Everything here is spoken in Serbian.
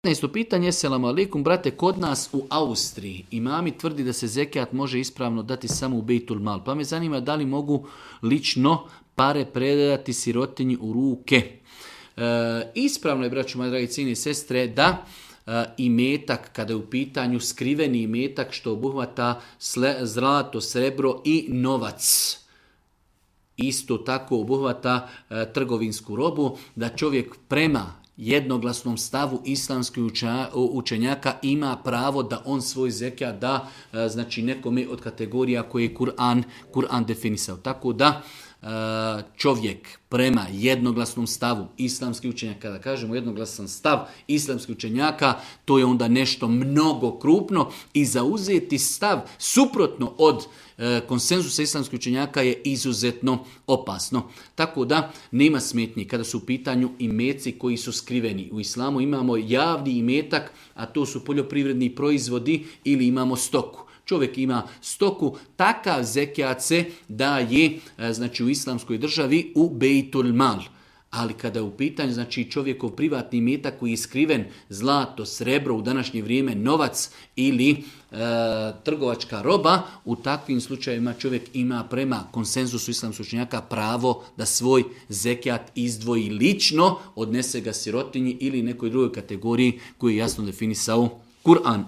15. pitanje, selam alaikum, brate, kod nas u Austriji imami tvrdi da se zekijat može ispravno dati samo u Bejtul Mal, pa me zanima da li mogu lično pare predati sirotinji u ruke. Ispravno je, braćo moji dragi cijene i sestre, da imetak, kada je u pitanju skriveni imetak što obuhvata zlato, srebro i novac, isto tako obuhvata trgovinsku robu, da čovjek prema jednoglasnom stavu islamskih učenjaka ima pravo da on svoj zekijat da znači nekome od kategorija koje je Kur'an definisao. Tako da čovjek prema jednoglasnom stavu islamskih učenjaka, kada kažemo jednoglasan stav islamskih učenjaka, to je onda nešto mnogo krupno i zauzeti stav suprotno od konsenzusa islamskih učenjaka je izuzetno opasno. Tako da nema smetnji kada su u pitanju imeci koji su skriveni. U islamu imamo javni imetak, a to su poljoprivredni proizvodi ili imamo stoku. Čovjek ima stoku, takav zekijat se daje znači u islamskoj državi u Bejtul Mal. Ali kada je u pitanju znači čovjekov privatni imetak koji je skriven, zlato, srebro, u današnje vrijeme novac ili trgovačka roba, u takvim slučajevima čovjek ima prema konsenzusu islamskih učenjaka pravo da svoj zekijat izdvoji lično, odnese ga sirotinji ili nekoj drugoj kategoriji koju je jasno definisao Kur'an.